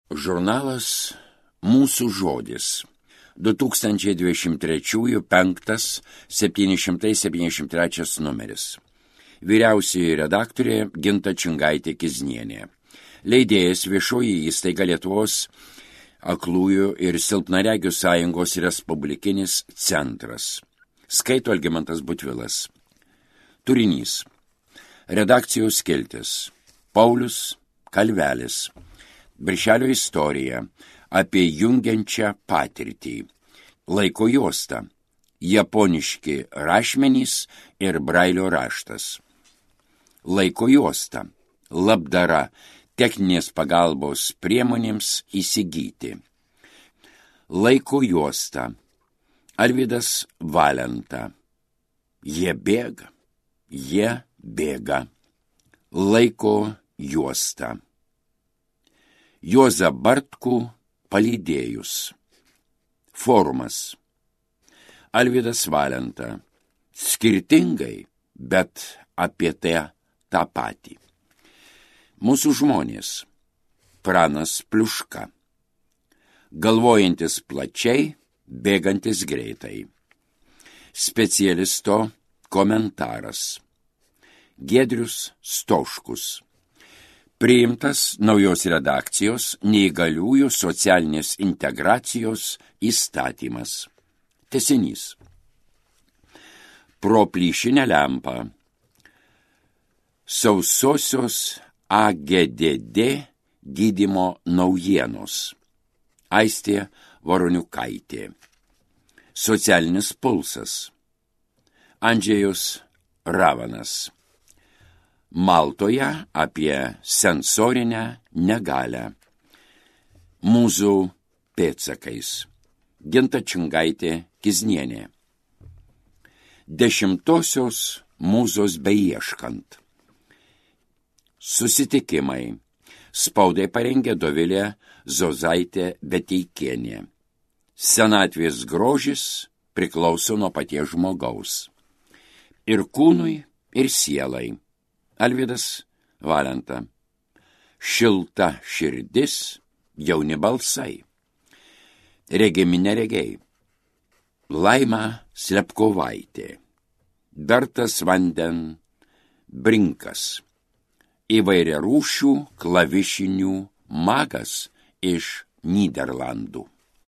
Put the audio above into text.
Žurnalas Mūsų žodis. 2023 5/773 numeris. Vyriausioji redaktorė Ginta Čingaitė-Kiznienė. Leidėjas Viešoji įstaiga Lietuvos aklųjų ir silpnaregių sąjungos Respublikinis centras. Skaito Algimantas Butvilas. Turinys. Redakcijos skiltis. Paulius Kalvelis. Birželio istorija apie jungiančią patirtį. Laiko juosta. Japoniški rašmenys ir brailio raštas. Laiko juosta. Labdara techninės pagalbos priemonėms įsigyti. Laiko juosta. Alvydas Valenta. Jie bėga. Laiko juosta. Juozą Bartkų palydėjus. Forumas. Alvydas Valenta. Skirtingai, bet apie tą patį. Mūsų žmonės. Pranas Pliuška. Galvojantis plačiai, bėgantis greitai. Specialisto komentaras. Giedrius Stoškus. Priimtas naujos redakcijos neįgaliųjų socialinės integracijos įstatymas. Tęsinys. Pro plyšinę lempą. Sausosios AGDD gydymo naujienos. Aistė Varoniukaitė. Socialinis pulsas. Andžejus Ravanas. Maltoje apie sensorinę negalią. Mūzų pėdsakais. Ginta Čingaitė-Kiznienė. 10-osios mūzos beieškant. Susitikimai. Spaudai parengė Dovilė Zozaitė Beteikienė. Senatvės grožis priklauso nuo paties žmogaus. Ir kūnui, ir sielai. Alvydas Valenta. Šilta širdis, jauni balsai. Regimi neregiai. Laima Slepkovaitė. Bertas Vanden Brinkas. Įvairiarūšių klavišinių magas iš Nyderlandų.